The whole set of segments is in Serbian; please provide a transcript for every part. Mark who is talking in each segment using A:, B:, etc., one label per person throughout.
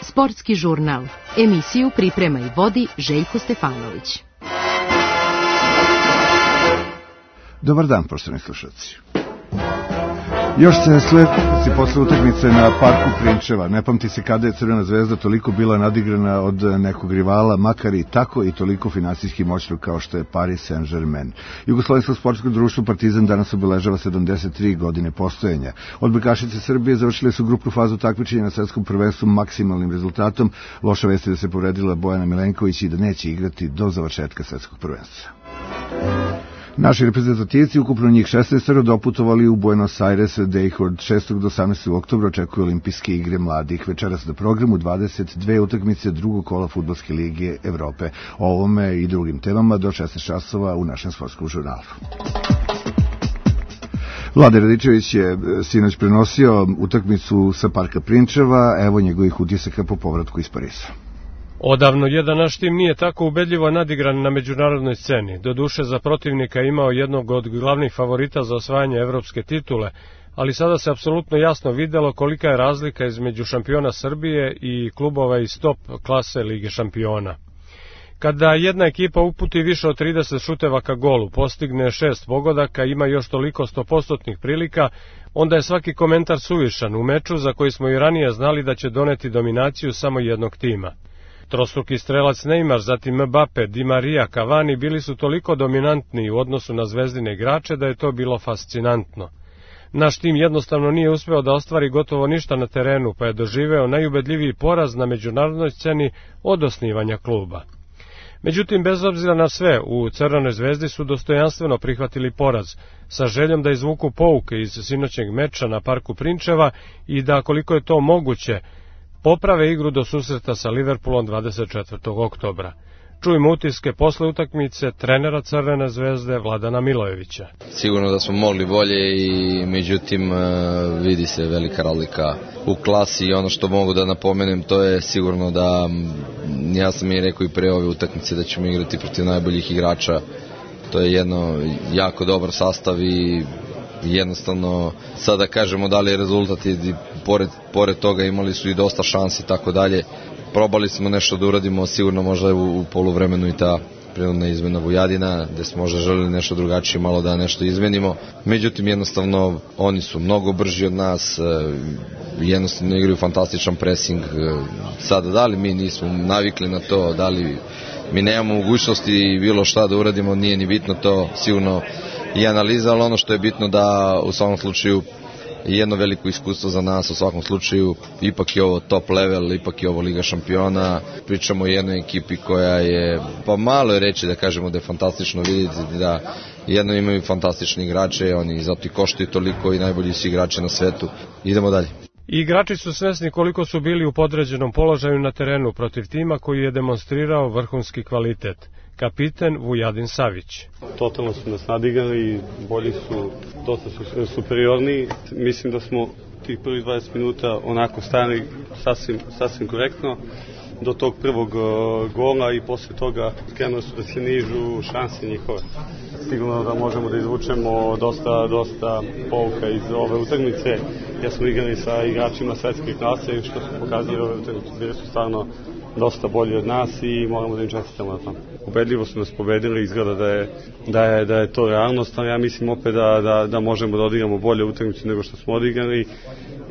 A: Sportski žurnal. Emisiju priprema i vodi Željko Stefanović.
B: Dobar dan, poštovani slušalci. Još se sledi posle utakmice na parku Prinčeva. Ne pamti se kada je Crvena zvezda toliko bila nadigrana od nekog rivala, makar i tako i toliko finansijski moćno kao što je Paris Saint-Germain. Jugoslovensko sportsko društvo Partizan danas obeležava 73 godine postojanja. Odbojkašice Srbije završile su grupnu fazu takmičenja na svetskom prvenstvu maksimalnim rezultatom. Loša vest je da se povredila Bojana Milenković i da neće igrati do završetka svetskog prvenstva. Naši reprezentativci, ukupno njih 16, doputovali u Buenos Aires, gde ih od 6. do 18. oktobra očekuju olimpijske igre mladih. Večeras na programu 22 utakmice drugog kola Fudbalske lige Evrope. O ovome i drugim temama do 16 časova u našem sportskom žurnalu. Vlade Radičević je sinoć prenosio utakmicu sa parka Prinčeva, evo njegovih utisaka po povratku iz Pariza.
C: Odavno jedan naš tim nije tako ubedljivo nadigran na međunarodnoj sceni. Doduše za protivnika imao jednog od glavnih favorita za osvajanje evropske titule, ali sada se apsolutno jasno videlo kolika je razlika između šampiona Srbije i klubova iz top klase Lige šampiona. Kada jedna ekipa uputi više od 30 šuteva ka golu, postigne 6 pogodaka, ima još toliko 100% prilika, onda je svaki komentar suvišan u meču za koji smo i ranije znali da će doneti dominaciju samo jednog tima. Trostruki strelac Neymar, zatim Mbappe, Di Maria, Cavani bili su toliko dominantni u odnosu na zvezdine igrače da je to bilo fascinantno. Naš tim jednostavno nije uspeo da ostvari gotovo ništa na terenu, pa je doživeo najubedljiviji poraz na međunarodnoj sceni od osnivanja kluba. Međutim, bez obzira na sve, u Crvenoj zvezdi su dostojanstveno prihvatili poraz, sa željom da izvuku pouke iz sinoćnjeg meča na parku Prinčeva i da, koliko je to moguće, poprave igru do susreta sa Liverpoolom 24. oktobra. Čujemo utiske posle utakmice trenera Crvene zvezde Vladana Milojevića.
D: Sigurno da smo mogli bolje i međutim vidi se velika razlika u klasi i ono što mogu da napomenem to je sigurno da ja sam i rekao i pre ove utakmice da ćemo igrati protiv najboljih igrača. To je jedno jako dobar sastav i jednostavno sada kažemo da li je rezultat i pored toga imali su i dosta šansi i tako dalje. Probali smo nešto da uradimo, sigurno možda u poluvremenu i ta prinudna izmena Vujadina, gde smo možda želeli nešto drugačije, malo da nešto izmenimo. Međutim, jednostavno, oni su mnogo brži od nas, jednostavno igraju fantastičan presing. Sada, da li mi nismo navikli na to, da li mi nemamo mogućnosti bilo šta da uradimo, nije ni bitno to, sigurno i analiza, ali ono što je bitno da u svakom slučaju jedno veliko iskustvo za nas, u svakom slučaju ipak je ovo top level, ipak je ovo Liga šampiona, pričamo o jednoj ekipi koja je, pa malo je reći da kažemo da je fantastično vidjeti da jedno imaju fantastični igrače, oni zato i koštaju toliko i najbolji su igrače na svetu. Idemo dalje.
C: Igrači su svesni koliko su bili u podređenom položaju na terenu protiv tima koji je demonstrirao vrhunski kvalitet. Kapiten Vujadin Savić.
E: Totalno su nas nadigrali, bolji su, dosta su superiorni. Mislim da smo tih prvih 20 minuta onako stali sasvim korektno do tog prvog gola i posle toga krenuli su da se nižu šanse njihove. Sigurno da možemo da izvučemo dosta pouka iz ove utakmice. Ja smo igrali sa igračima svetske klase i što su pokazali ove utakmice, bili su stvarno dosta bolji od nas i moramo da im čestitamo na tom. Ubedljivo su nas pobedili, izgleda da je to realnost, ali ja mislim opet da možemo da odigramo bolje utakmice nego što smo odigrali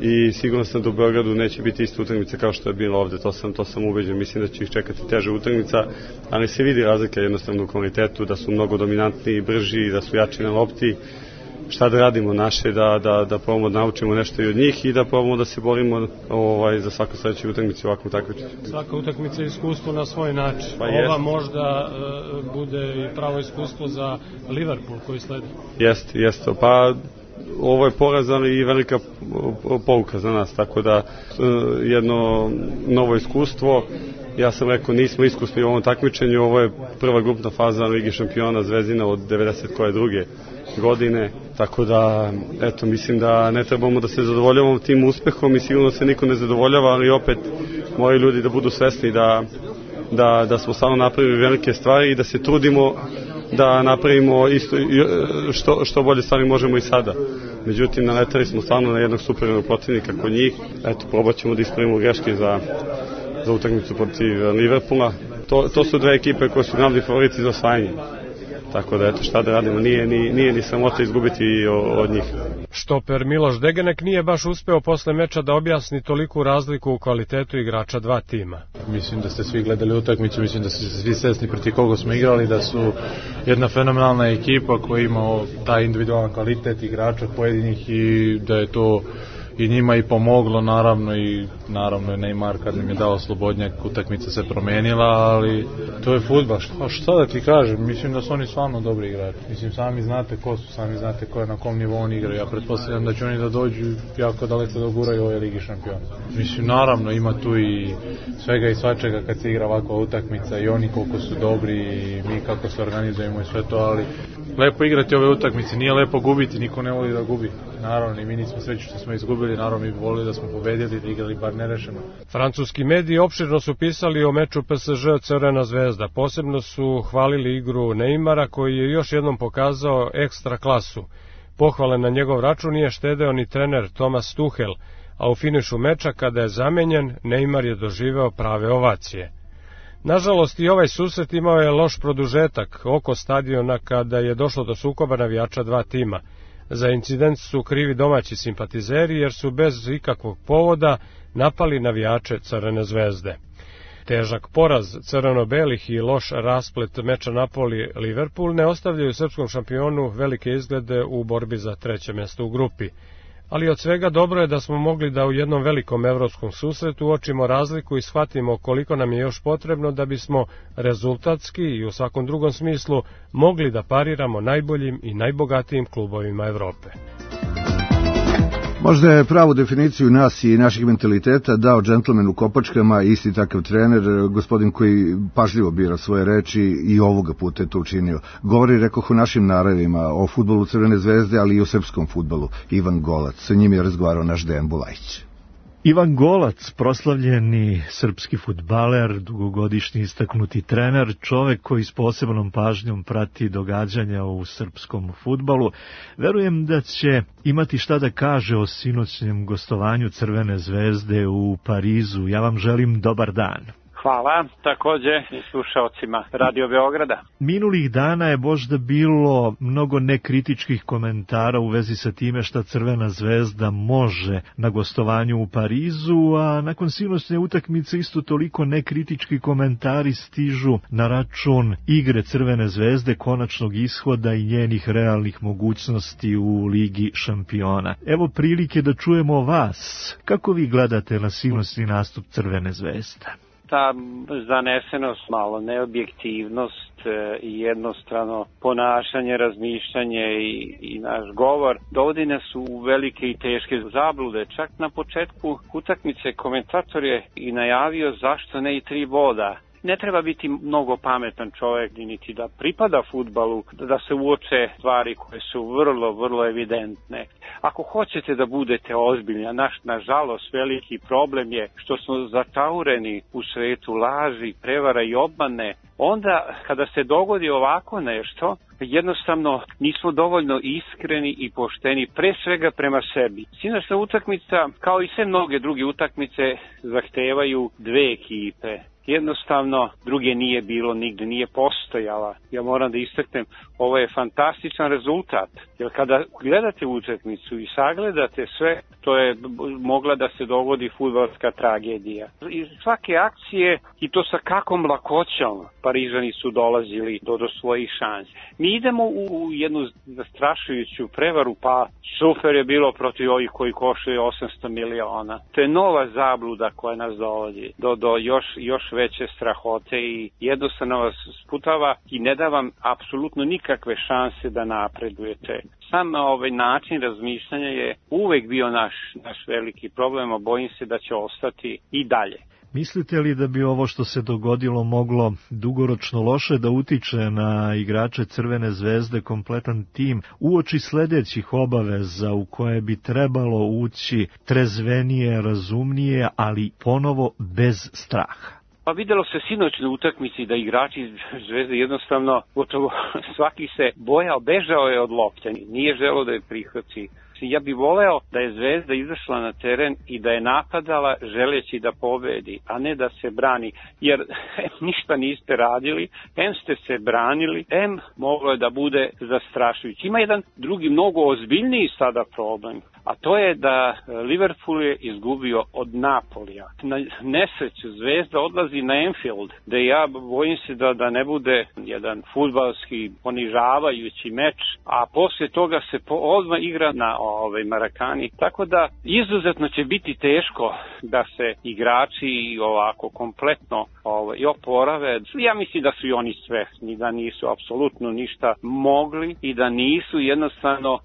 E: i sigurno sam da u Beogradu neće biti ista utakmica kao što je bilo ovde, to sam ubeđen, mislim da će ih čekati teža utakmica, ali se vidi razlika jednostavno u kvalitetu, da su mnogo dominantniji, brži, da su jači na lopti. Šta da radimo naše, da probamo da naučimo nešto i od njih i da probamo da se borimo za svaku sledeću utakmicu u ovakvom takmičenju.
C: Svaka utakmica je iskustvo na svoj način. Ova možda bude i pravo iskustvo za Liverpool koji sledi.
E: Jeste. Pa ovo je poraz, ali i velika pouka za nas, tako da jedno novo iskustvo. Ja sam rekao, nismo iskusni u ovom takmičenju, ovo je prva grupna faza Lige šampiona Zvezdina od 92. godine, tako da, eto, mislim da ne trebamo da se zadovoljavamo tim uspehom i sigurno se niko ne zadovoljava, ali opet moraju ljudi da budu svesni da smo stvarno napravili velike stvari i da se trudimo da napravimo isto što bolje stvari možemo i sada. Međutim, naletali smo stvarno na jednog superiornog protivnika kod njih. Eto, probat ćemo da ispravimo greške za utakmicu protiv Liverpoola. To su dve ekipe koje su glavni favoriti za osvajanje. Tako da, eto, šta da radimo, nije ni sramota izgubiti od njih.
C: Štoper Miloš Degenek nije baš uspeo posle meča da objasni toliku razliku u kvalitetu igrača dva tima.
F: Mislim da ste svi gledali utakmicu, mislim da ste svi svesni protiv koga smo igrali, da su jedna fenomenalna ekipa koja ima taj individualan kvalitet igrača pojedinih i da je to i njima i pomoglo, naravno je Neymar kad nam je dao slobodnjak, utakmica se promenila, ali to je fudbal. Šta da ti kažem, mislim da su oni stvarno dobri igrači. Mislim, sami znate ko su, sami znate ko je na kom nivou oni igraju. Ja pretpostavljam da će oni da dođu jako daleko da guraju ove Ligi šampiona. Mislim, naravno ima tu i svega i svačega kad se igra ovakva utakmica i oni koliko su dobri i mi kako se organizujemo i sve to, ali lepo igrati ove utakmice, nije lepo gubiti, niko ne voli da gubi. Naravno, i mi nismo srećni što smo izgubili, naravno mi bi volili da smo pobedili, da igrali bar nerešeno.
C: Francuski mediji opširno su pisali o meču PSG Crvena zvezda. Posebno su hvalili igru Neymara koji je još jednom pokazao ekstra klasu. Pohvale na njegov račun nije štedeo ni trener Thomas Tuchel, a u finišu meča kada je zamenjen, Neymar je doživeo prave ovacije. Nažalost, i ovaj susret imao je loš produžetak oko stadiona kada je došlo do sukoba navijača dva tima. Za incident su krivi domaći simpatizeri jer su bez ikakvog povoda napali navijače Crvene zvezde. Težak poraz crveno-belih i loš rasplet meča Napoli-Liverpool ne ostavljaju srpskom šampionu velike izglede u borbi za treće mjesto u grupi. Ali od svega dobro je da smo mogli da u jednom velikom evropskom susretu uočimo razliku i shvatimo koliko nam je još potrebno da bismo rezultatski i u svakom drugom smislu mogli da pariramo najboljim i najbogatijim klubovima Evrope.
B: Možda je pravu definiciju nas i naših mentaliteta dao džentlmen u kopačkama, isti takav trener, gospodin koji pažljivo bira svoje reči i ovoga puta je to učinio. Govori, rekoh, o našim naravima, o fudbalu Crvene zvezde, ali i o srpskom fudbalu. Ivan Golac, sa njim je razgovarao naš Dejan Bulajić.
G: Ivan Golac, proslavljeni srpski fudbaler, dugogodišnji istaknuti trener, čovek koji s posebnom pažnjom prati događanja u srpskom fudbalu. Verujem da će imati šta da kaže o sinoćnjem gostovanju Crvene zvezde u Parizu. Ja vam želim dobar dan.
H: Hvala, takođe i slušaocima Radio Beograda.
G: Minulih dana je možda bilo mnogo nekritičkih komentara u vezi sa time šta Crvena zvezda može na gostovanju u Parizu, a nakon sinoćne utakmice isto toliko nekritički komentari stižu na račun igre Crvene zvezde, konačnog ishoda i njenih realnih mogućnosti u Ligi šampiona. Evo prilike da čujemo vas. Kako vi gledate na sinoćni nastup Crvene zvezde?
H: Ta zanesenost, malo neobjektivnost i jednostrano ponašanje, razmišljanje i naš govor dovodi nas u velike i teške zablude. Čak na početku utakmice komentator je i najavio zašto ne i 3 boda. Ne treba biti mnogo pametan čovjek niti da pripada fudbalu, da se uoče stvari koje su vrlo evidentne. Ako hoćete da budete ozbiljni, a nažalost veliki problem je što smo zataureni u svetu laži, prevara i obmane, onda kada se dogodi ovako nešto, jednostavno nismo dovoljno iskreni i pošteni, pre svega prema sebi. Sinoćna utakmica, kao i sve mnoge druge utakmice, zahtevaju 2 ekipe. Jednostavno, druge nije bilo, nigde nije postojala. Ja moram da istaknem, ovo je fantastičan rezultat. Jer kada gledate utakmicu i sagledate sve, to je mogla da se dogodi fudbalska tragedija. Iz svake akcije, i to sa kakvom lakoćom, Parižani su dolazili do svojih šansi. Mi idemo u jednu zastrašujuću prevaru, pa super je bilo protiv ovih koji koštaju 800 miliona. To je nova zabluda koja nas dovodi do još veće strahote i jednostavno vas sputava i ne da vam apsolutno nikakve šanse da napredujete. Sam ovaj način razmišljanja je uvek bio naš veliki problem, a bojim se da će ostati i dalje.
G: Mislite li da bi ovo što se dogodilo moglo dugoročno loše da utiče na igrače Crvene zvezde, kompletan tim, uoči sledećih obaveza u koje bi trebalo ući trezvenije, razumnije, ali ponovo bez straha?
H: Pa videlo se sinoć na utakmici da igrači Zvezde jednostavno gotovo svaki se bojao, bežao je od lopte, nije želeo da je prihvati. Ja bih voleo da je Zvezda izašla na teren i da je napadala želeći da pobedi, a ne da se brani, jer ništa niste radili, ste se branili, moglo je da bude zastrašujući. Ima jedan drugi, mnogo ozbiljniji sada problem, a to je da Liverpool je izgubio od Napolija. Na nesreću Zvezda odlazi na Anfield, da ja bojim se da ne bude jedan fudbalski ponižavajući meč, a poslije toga se odmah igra na Marakani. Tako da izuzetno će biti teško da se igrači ovako kompletno i oporave. Ja mislim da su i oni svesni da nisu apsolutno ništa mogli i da nisu jednostavno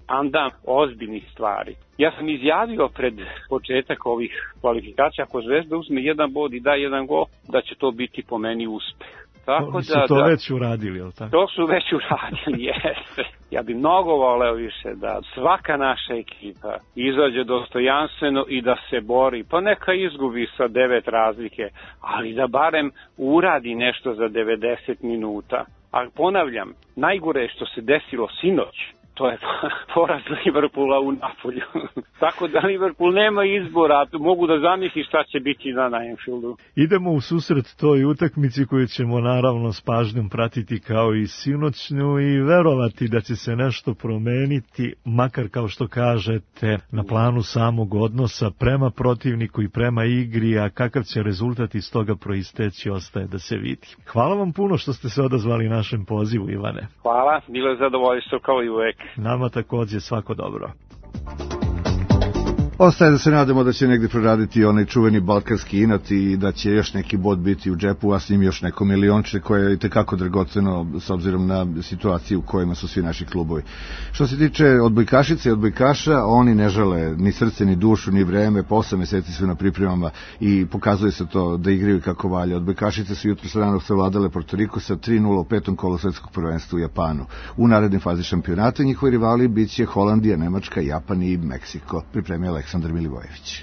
H: ozbiljnih stvari. Ja sam izjavio pred početak ovih kvalifikacija, ako Zvezda uzme jedan bod i da jedan gol, da će to biti po meni uspeh.
G: Tako su to već uradili, je li tako?
H: To su već uradili, jeste. Ja bih mnogo voleo više da svaka naša ekipa izađe dostojanstveno i da se bori, pa neka izgubi sa 9 razlike, ali da barem uradi nešto za 90 minuta. A ponavljam, najgore je što se desilo sinoć. To je poraz Liverpoola u Napolju. Tako da Liverpool nema izbora, mogu da zamisli šta će biti na Anfieldu.
G: Idemo u susret toj utakmici koju ćemo naravno s pažnjom pratiti kao i sinoćnju i verovati da će se nešto promeniti, makar kao što kažete na planu samog odnosa prema protivniku i prema igri, a kakav će rezultat iz toga proisteći ostaje da se vidi. Hvala vam puno što ste se odazvali našem pozivu, Ivane.
H: Hvala, bilo je zadovoljstvo kao i uvek.
G: Nama takođe, svako dobro.
B: Ostaje da se nadamo da će negdje proraditi onaj čuveni balkanski inat i da će još neki bod biti u džepu, a s njim još neko milionče koje je itekako dragoceno s obzirom na situaciju u kojima su svi naši klubovi. Što se tiče odbojkašice i odbojkaša, oni ne žele ni srce, ni dušu, ni vreme, po 8 meseci su na pripremama i pokazuje se to da igraju kako valja. Odbojkašice su jutro ranog savladale Porto Riko sa 3:0 u 5. kolu svetskog prvenstva u Japanu. U narednoj fazi šampionata njihovi rivali biće Holandija, Nemačka, Japan i Meksiko. Pripremio Aleksandar Milivojević.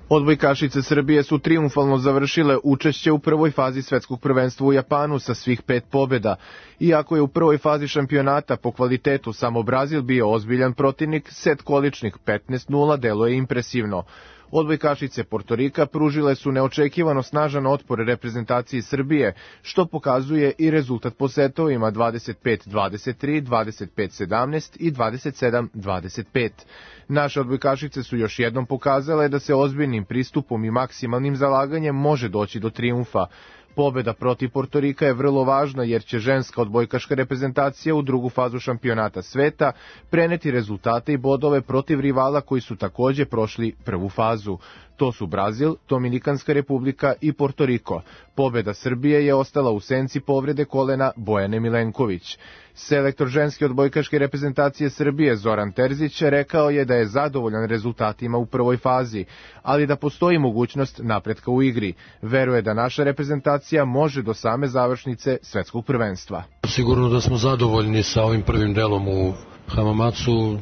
I: Odbojkašice Srbije su trijumfalno završile učešće u prvoj fazi svetskog prvenstva u Japanu sa svih 5 pobjeda. Iako je u prvoj fazi šampionata po kvalitetu samo Brazil bio ozbiljan protivnik, set količnik 15:0 deluje impresivno. Odbojkašice Porto Rika pružile su neočekivano snažan otpor reprezentaciji Srbije, što pokazuje i rezultat po setovima 25-23, 25-17 i 27-25. Naše odbojkašice su još jednom pokazale da se ozbiljnim pristupom i maksimalnim zalaganjem može doći do trijumfa. Pobjeda protiv Porto Rika je vrlo važna jer će ženska odbojkaška reprezentacija u drugu fazu šampionata sveta preneti rezultate i bodove protiv rivala koji su također prošli prvu fazu. To su Brazil, Dominikanska republika i Porto Riko. Pobjeda Srbije je ostala u senci povrede kolena Bojane Milenković. Selektor ženske odbojkaške reprezentacije Srbije Zoran Terzić rekao je da je zadovoljan rezultatima u prvoj fazi, ali da postoji mogućnost napretka u igri. Veruje da naša reprezentacija može do same završnice svetskog prvenstva.
J: Sigurno da smo zadovoljni sa ovim prvim delom u Hamamatsu,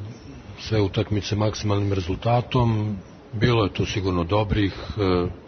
J: sve utakmice maksimalnim rezultatom. Bilo je tu sigurno dobrih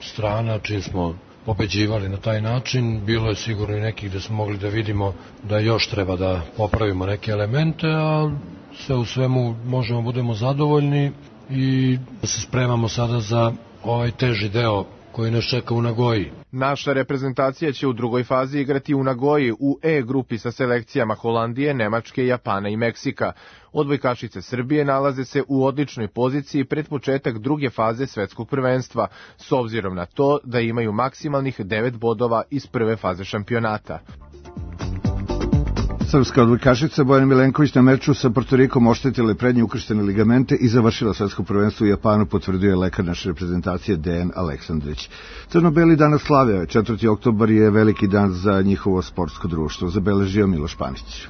J: strana, čim smo pobeđivali na taj način. Bilo je sigurno i nekih gde smo mogli da vidimo da još treba da popravimo neke elemente, a sve u svemu možemo budemo zadovoljni i da se spremamo sada za ovaj teži deo koji nas čeka u Nagoji.
I: Naša reprezentacija će u drugoj fazi igrati u Nagoji u E grupi sa selekcijama Holandije, Nemačke, Japana i Meksika. Odbojkašice Srbije nalaze se u odličnoj poziciji pred početak druge faze svetskog prvenstva, s obzirom na to da imaju maksimalnih 9 bodova iz prve faze šampionata.
B: Srpska odbojkašica Bojana Milenković na meču sa Porto Rikom oštetila je prednje ukrštene ligamente i završila svetsko prvenstvo u Japanu, potvrdio lekar naše reprezentacije Dejan Aleksandrić. Crno-beli danas slave, 4. oktobar je veliki dan za njihovo sportsko društvo, zabeležio Miloš Panić.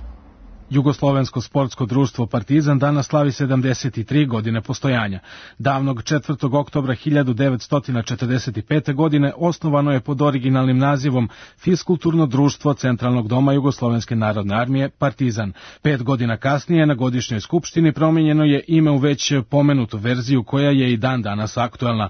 K: Jugoslovensko sportsko društvo Partizan danas slavi 73 godine postojanja. Davnog 4. oktobra 1945. godine osnovano je pod originalnim nazivom Fiskulturno društvo Centralnog doma Jugoslovenske narodne armije Partizan. 5 godina kasnije na godišnjoj skupštini promijenjeno je ime u već pomenutu verziju koja je i dan danas aktuelna.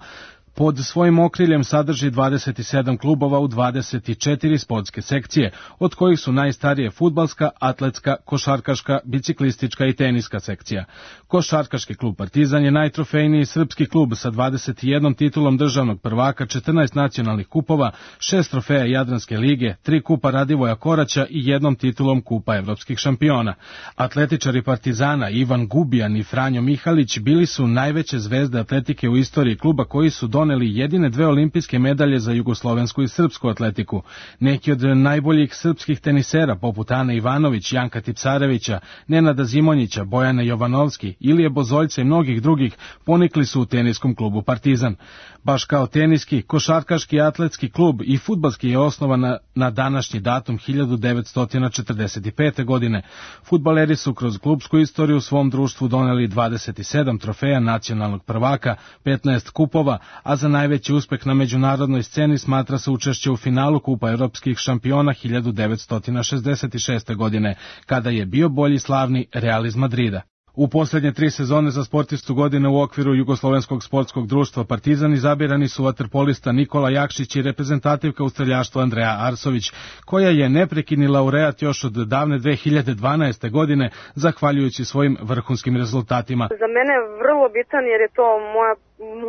K: Pod svojim okriljem sadrži 27 klubova u 24 sportske sekcije, od kojih su najstarije fudbalska, atletska, košarkaška, biciklistička i teniska sekcija. Košarkaški klub Partizan je najtrofejniji srpski klub sa 21 titulom državnog prvaka, 14 nacionalnih kupova, 6 trofeja Jadranske lige, 3 kupa Radivoja Koraća i 1 titulom kupa evropskih šampiona. Atletičari Partizana Ivan Gubijan i Franjo Mihalić bili su najveće zvezde atletike u istoriji kluba, koji su doneli jedine 2 olimpijske medalje za jugoslovensku i srpsku atletiku. Neki od najboljih srpskih tenisera, poput Ane Ivanović, Janka Tipsarevića, Nenada Zimonjića, Bojana Jovanovski, Ilije Bozoljca i mnogih drugih, ponikli su u teniskom klubu Partizan. Baš kao teniski, košarkaški, atletski klub i fudbalski je osnovan na današnji datum 1945. godine. Fudbaleri su kroz klubsku istoriju svom društvu doneli 27 trofeja nacionalnog prvaka, 15 kupova, a za najveći uspeh na međunarodnoj sceni smatra se učešće u finalu Kupa evropskih šampiona 1966. godine, kada je bio bolji slavni Real iz Madrida. U posljednje 3 sezone za sportistu godine u okviru Jugoslovenskog sportskog društva Partizan izabirani su vaterpolista Nikola Jakšić i reprezentativka u streljaštvu Andreja Arsović, koja je neprekidni laureat još od davne 2012. godine, zahvaljujući svojim vrhunskim rezultatima.
L: Za mene je vrlo bitan jer je to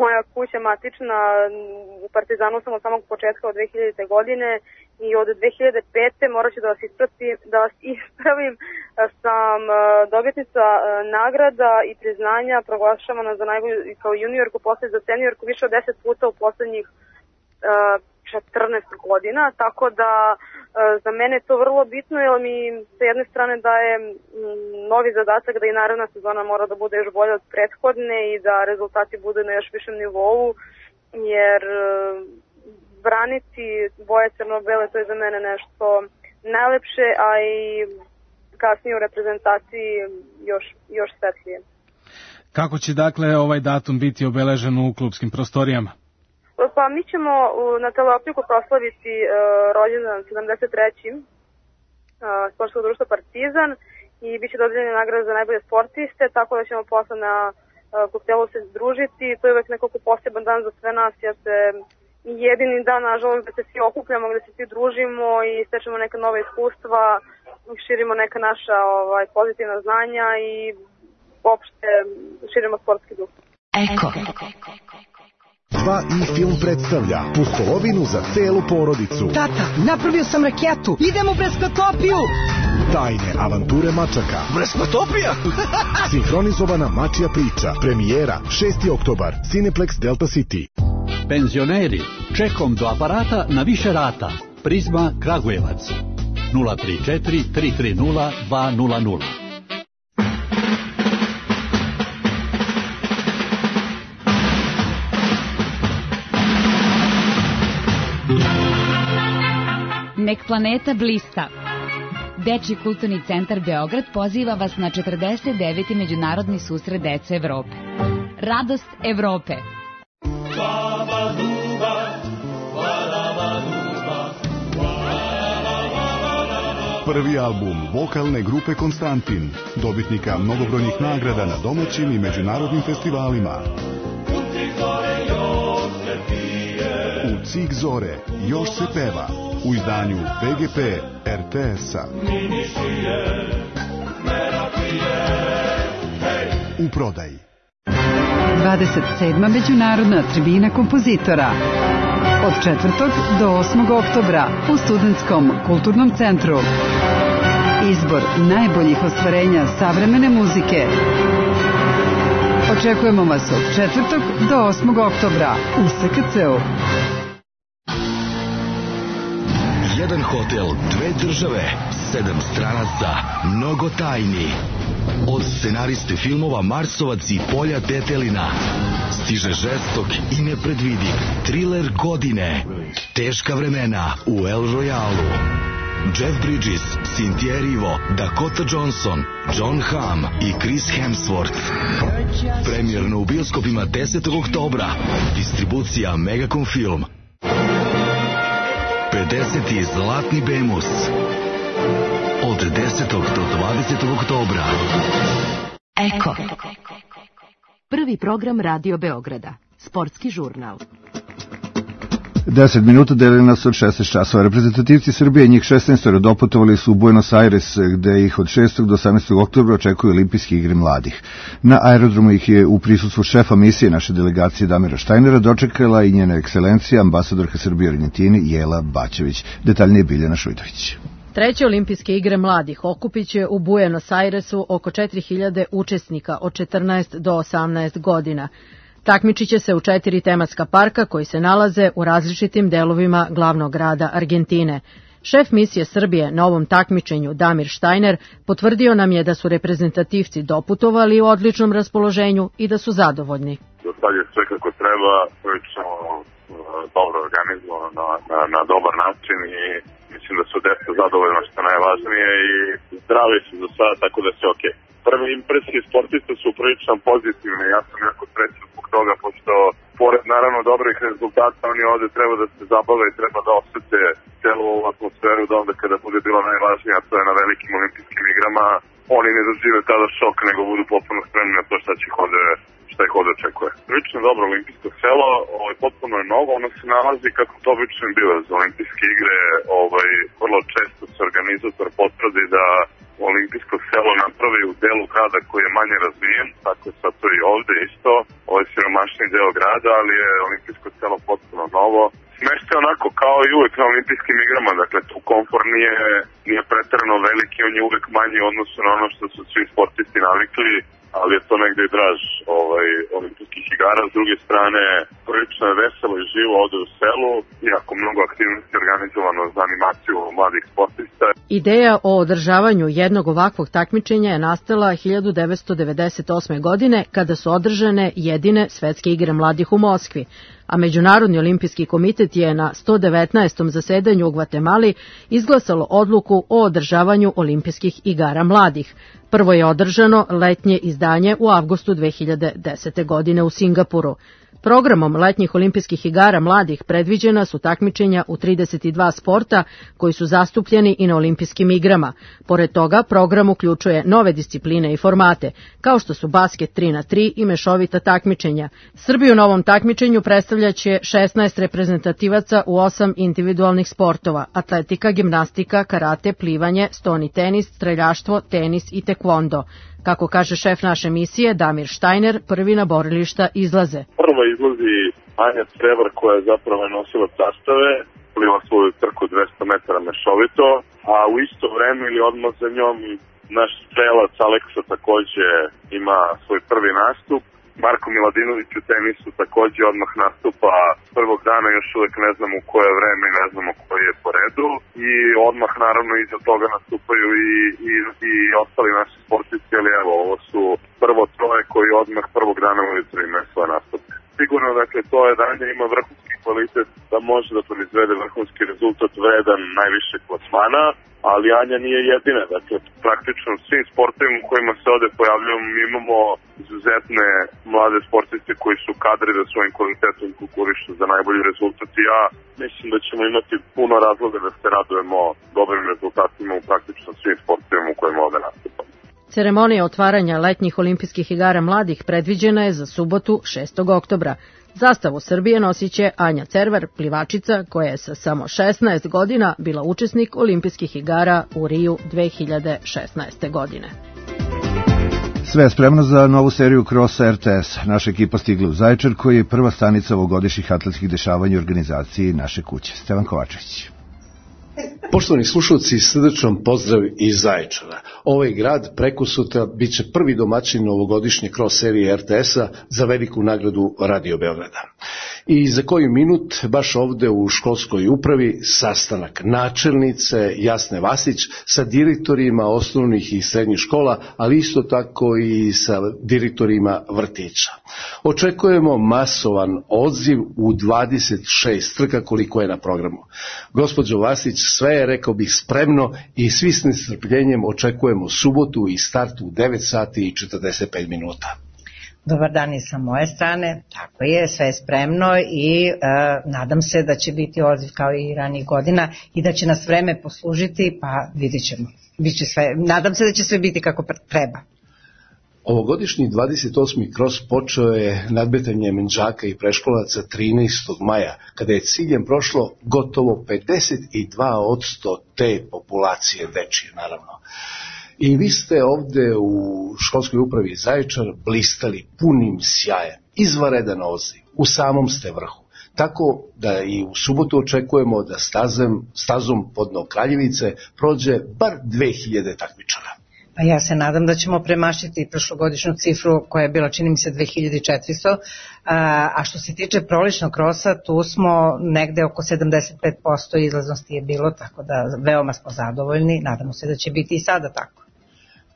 L: moja kuća matična. U Partizanu sam od samog početka od 2000. godine i od 2005. morat ću da vas ispravim, sam dobitnica nagrada i priznanja proglašavana za najbolju kao juniorku, posle za seniorku više od 10 puta u poslednjih 14 godina, tako da za mene je to vrlo bitno jer mi sa jedne strane daje novi zadatak da i naredna sezona mora da bude još bolja od prethodne i da rezultati budu na još višem nivou, jer braniti boje crno-bele, to je za mene nešto najlepše, a i kasnije u reprezentaciji još svetlije.
K: Kako će dakle ovaj datum biti obeležen u klubskim prostorijama?
L: Pa mi ćemo na Teleopiku proslaviti rođendan 73. sportskog društva Partizan i bit će dodijeljene nagrade za najbolje sportiste, tako da ćemo posle na koktelu se družiti. To je uvek nekako poseban dan za sve nas, jer se jedini dan, nažalost, gde se svi okupljamo, gde se svi družimo i stečemo neka nova iskustva, širimo neka naša pozitivna znanja i uopšte širimo sportski duh.
M: Eko. 2i film predstavlja Pustolovinu za celu porodicu.
N: Tata, napravio sam raketu. Idemo u Breskotopiju.
M: Tajne avanture mačaka.
N: Breskotopija?
M: Sinhronizovana mačja priča. Premijera 6. oktobar. Cineplex Delta City.
O: Penzioneri, čekom do aparata na više rata. Prizma Kragujevac. 034 330 200.
P: Nek planeta blista. Dečji kulturni centar Beograd poziva vas na 49. međunarodni susret dece Evrope. Radost Evrope.
M: Prvi album vokalne grupe Konstantin, dobitnika mnogobrojnih nagrada na domaćim i međunarodnim festivalima. U Cig zore još se peva, u izdanju PGP RTS-a. U prodaji.
Q: 27. međunarodna tribina kompozitora. Od 4. do 8. oktobra u Studentskom kulturnom centru. Izbor najboljih ostvarenja savremene muzike. Očekujemo vas od 4. do 8. oktobra u SKC-u.
R: Jedan hotel, 2 države, 7 stranaca, mnogo tajni. Od scenariste filmova Marsovac i Polja Tetelina stiže žestok i nepredvidiv triler godine. Teška vremena u El Royalu. Jeff Bridges, Cynthia Erivo, Dakota Johnson, John Hamm i Chris Hemsworth. Premijerno u bioskopima 10. oktobra. Distribucija Megacom Film. 50. Zlatni Bemus. Od 10. do 20. oktobra.
A: Eko. Prvi program Radio Beograda. Sportski žurnal.
B: 10 minuta deljena su od 16 časova. Reprezentativci Srbije, njih 16 doputovali su u Buenos Aires, gde ih od 6. do 18. oktobra očekuju olimpijske igre mladih. Na aerodromu ih je u prisustvu šefa misije naše delegacije Damira Štajnera dočekala i njena ekscelencija, ambasadorka Srbije u Argentini Jela Bačević. Detaljnije Biljana Šujtović.
A: Treće olimpijske igre mladih okupit će u Buenos Airesu oko 4000 učesnika od 14 do 18 godina. Takmičit će se u 4 tematska parka koji se nalaze u različitim delovima glavnog grada Argentine. Šef misije Srbije na ovom takmičenju Damir Štajner potvrdio nam je da su reprezentativci doputovali u odličnom raspoloženju i da su zadovoljni.
S: Do sad je sve kako treba, prilično dobro organizovano na dobar način i mislim da su deca zadovoljno što je najvažnije i zdravi su do sada, tako da se okej. Prve impresije sportista su prilično pozitivne, ja sam jako srećan zbog toga, pošto pored naravno dobrih rezultata, oni ovde treba da se zabave i treba da osete celu ovu atmosferu da onda kada bude bilo najvažnije, a to je na velikim olimpijskim igrama, oni ne dožive tada šok, nego budu potpuno spremni na to šta ih ovde očekuje. Prilično dobro olimpijsko selo, potpuno je novo, ono se nalazi kako to obično bilo za olimpijske igre, vrlo često se organizator potvrdi da olimpijsko selo napravi u delu grada koji je manje razvijen, tako je sad to i ovde isto, ovo je siromašniji deo grada, ali je olimpijsko selo potpuno novo. Smešta je onako kao i uvek na olimpijskim igrama, dakle tu komfor nije preterano veliki, on je uvek manji u odnosu na ono što su svi sportisti navikli, ali je to negde i draž olimpijskih igara. S druge strane, prilično je veselo i živo ovde u selu, jako mnogo aktivnosti organizovano za animaciju mladih sportista.
A: Ideja o održavanju jednog ovakvog takmičenja je nastala 1998. godine kada su održane jedine svetske igre mladih u Moskvi, a Međunarodni olimpijski komitet je na 119. zasedanju u Gvatemali izglasalo odluku o održavanju olimpijskih igara mladih. Prvo je održano letnje izdanje u avgustu 2010. godine u Singapuru. Programom letnjih olimpijskih igara mladih predviđena su takmičenja u 32 sporta koji su zastupljeni i na olimpijskim igrama. Pored toga, program uključuje nove discipline i formate, kao što su basket 3x3 i mešovita takmičenja. Srbiju na ovom takmičenju predstavljaće 16 reprezentativaca u 8 individualnih sportova: atletika, gimnastika, karate, plivanje, stoni tenis, streljaštvo, tenis i tekvondo. Kako kaže šef naše misije, Damir Štajner, prvi na borilišta izlaze.
S: Prva izlazi Anja Crevar, koja je zapravo nosila zastave, pliva svoju trku 200 metara mešovito, a u isto vreme ili odmah za njom naš strelac Aleksa takođe ima svoj prvi nastup. Marko Miladinović u tenisu takođe odmah nastupa prvog dana, još uvek ne znamo u koje vreme, ne znamo koji je po redu, i odmah naravno iza toga nastupaju i ostali naši sportisti, ali evo, ovo su prvo troje koji odmah prvog dana ujutro imaju svoje nastupe. Sigurno, dakle, to je da Anja ima vrhunski kvalitet, da može da proizvede vrhunski rezultat vredan najviše plasmana, ali Anja nije jedina. Dakle, praktično svim sportovima u kojima se ovde pojavljamo imamo izuzetne mlade sportiste koji su kadri da svojim kvalitetom konkurišu za najbolji rezultat i ja mislim da ćemo imati puno razloga da se radujemo dobrim rezultatima u praktično svim sportovima u kojima ovde nastupamo.
A: Ceremonija otvaranja letnjih olimpijskih igara mladih predviđena je za subotu 6. oktobra. Zastavu Srbije nosit će Anja Cervar, plivačica koja je sa samo 16 godina bila učesnik olimpijskih igara u Riju 2016. godine.
B: Sve je spremno za novu seriju Krosa RTS. Naša ekipa stigla u Zaječar, koji je prva stanica ovogodišnjih atletskih dešavanja u organizaciji naše kuće. Stevan Kovačević.
T: Poštovani slušalci, srdečan pozdrav iz Zaječara. Ovaj grad prekosutra biće prvi domaćin novogodišnje cross serije RTS-a za veliku nagradu Radio Beograda. I za koji minut, baš ovde u školskoj upravi, sastanak načelnice Jasne Vasić sa direktorima osnovnih i srednjih škola, ali isto tako i sa direktorima vrtića. Očekujemo masovan odziv u 26 trka koliko je na programu. Gospođo Vasić, sve je, rekao bih, spremno i svi s nestrpljenjem očekujemo subotu i start u 9 sati i 45 minuta.
U: Dobar dan i sa moje strane, tako je, sve je spremno i nadam se da će biti odziv kao i ranijih godina i da će nas vreme poslužiti, pa vidit ćemo. Nadam se da će sve biti kako treba.
T: Ovogodišnji 28. kros počeo je nadmetanjem đaka i preškolaca 13. maja, kada je ciljem prošlo gotovo 52% te populacije dečije, naravno. I vi ste ovde u školskoj upravi Zaječar blistali punim sjajem, izvanredan odziv, u samom ste vrhu. Tako da i u subotu očekujemo da stazom Podno Kraljevice prođe bar 2000 takmičara.
U: Pa ja se nadam da ćemo premašiti prošlogodišnju cifru koja je bila, čini mi se, 2400, a što se tiče proličnog krosa, tu smo negde oko 75% izlaznosti je bilo, tako da veoma smo zadovoljni, nadamo se da će biti i sada tako.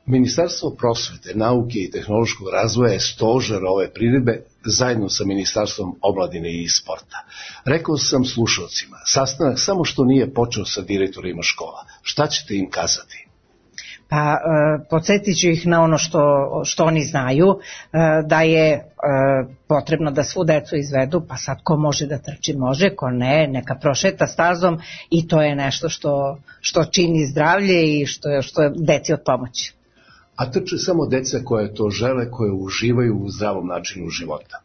T: Ministarstvo prosvete, nauke i tehnološkog razvoja je stožer ove priredbe zajedno sa Ministarstvom omladine i sporta. Rekao sam slušalcima, sastanak samo što nije počeo sa direktorima škola. Šta ćete im kazati?
U: Pa podsjetit ću ih na ono što oni znaju, da je potrebno da svu decu izvedu, pa sad ko može da trči može, ko ne, neka prošeta stazom i to je nešto što čini zdravlje i što je deci od pomoći.
T: A trče samo deca koje to žele, koje uživaju u zdravom načinu života.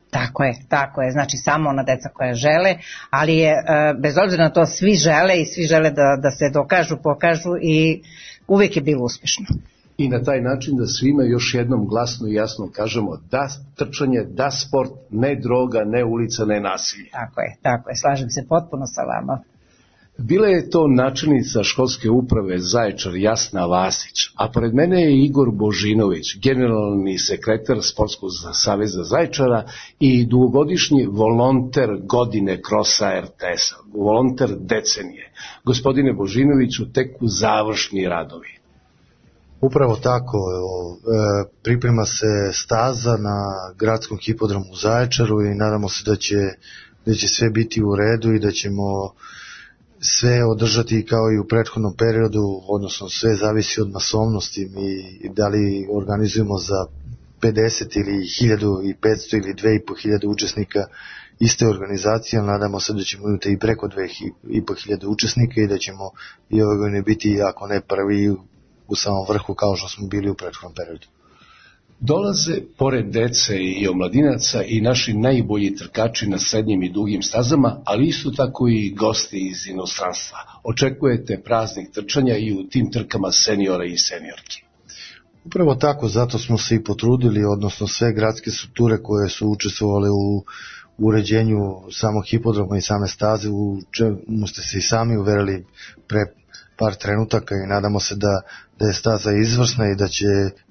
U: Tako je, znači samo ona deca koja žele, ali je, bez obzira na to, svi žele i svi žele da se dokažu, pokažu i uvijek je bilo uspješno.
T: I na taj način da svima još jednom glasno i jasno kažemo da trčanje, da sport, ne droga, ne ulica, ne nasilje.
U: Tako je, slažem se potpuno sa vama.
T: Bila je to načelnica školske uprave Zaječar Jasna Vasić, a pored mene je Igor Božinović, generalni sekretar Sportskog saveza Zaječara i dugogodišnji volonter godine krosa RTS-a, volonter decenije. Gospodine Božinoviću, tek u završni radovi.
D: Upravo tako, priprema se staza na gradskom hipodromu u Zaječaru i nadamo se da će sve biti u redu i da ćemo sve održati kao i u prethodnom periodu, odnosno sve zavisi od masovnosti. Mi da li organizujemo za 50 ili 1500 ili 2500 učesnika iste organizacije, ali nadamo se da ćemo imati i preko 2500 učesnika i da ćemo i ove godine biti, ako ne prvi, u samom vrhu kao što smo bili u prethodnom periodu.
T: Dolaze pored dece i omladinaca i naši najbolji trkači na srednjim i dugim stazama, ali isto tako i gosti iz inostranstva. Očekujete praznik trčanja i u tim trkama seniora i seniorki.
D: Upravo tako, zato smo se i potrudili, odnosno sve gradske strukture koje su učestvovale u uređenju samog hipodroma i same staze, u čemu ste se i sami uverili pre par trenutaka i nadamo se da je staza izvrsna i da će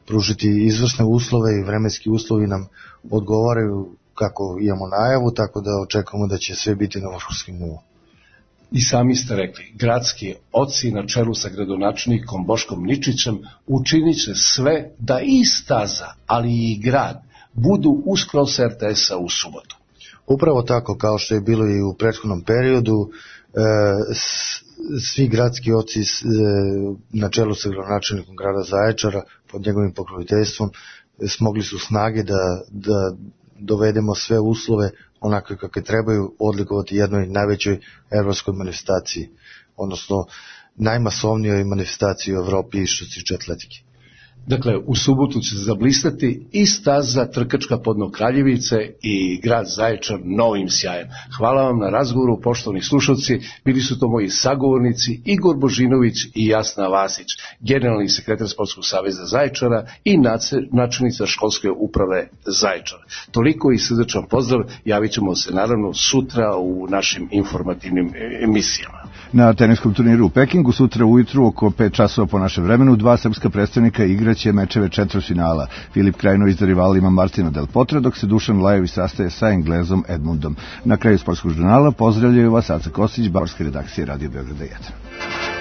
D: pružiti izvrsne uslove i vremenski uslovi nam odgovaraju kako imamo najavu, tako da očekujemo da će sve biti na vrhunskom nivou.
T: I sami ste rekli, gradski oci na čelu sa gradonačelnikom Boškom Ničićem učinit će sve da i staza, ali i grad budu uz kros RTS-a u subotu.
D: Upravo tako, kao što je bilo i u prethodnom periodu, svi gradski oci na čelu sa gradonačelnikom grada Zaječara pod njegovim pokroviteljstvom smogli su snage da dovedemo sve uslove onakve kakve trebaju odlikovati jednoj najvećoj evropskoj manifestaciji, odnosno najmasovnijoj manifestaciji u Evropi što se tiče atletike.
T: Dakle, u subotu će se zablistati i staza trkačka Podno Kraljevice i grad Zaječar novim sjajem. Hvala vam na razgovoru, poštovani slušalci. Bili su to moji sagovornici Igor Božinović i Jasna Vasić, generalni sekretar Sportskog saveza Zaječara i načelnica školske uprave Zaječar. Toliko i srdečan pozdrav, javit ćemo se naravno sutra u našim informativnim emisijama.
B: Na teniskom turniru u Pekingu sutra ujutru oko 5 časova po našem vremenu dva srpska predstavnika igraće mečeve četvrtfinala. Filip Krajinović za rivalima Martina Del Potra, dok se Dušan Lajović sastaje sa Englezom Edmundom. Na kraju sportskog žurnala pozdravljaju vas Aca Kostić, bavarske redakcije Radio Beograda 1.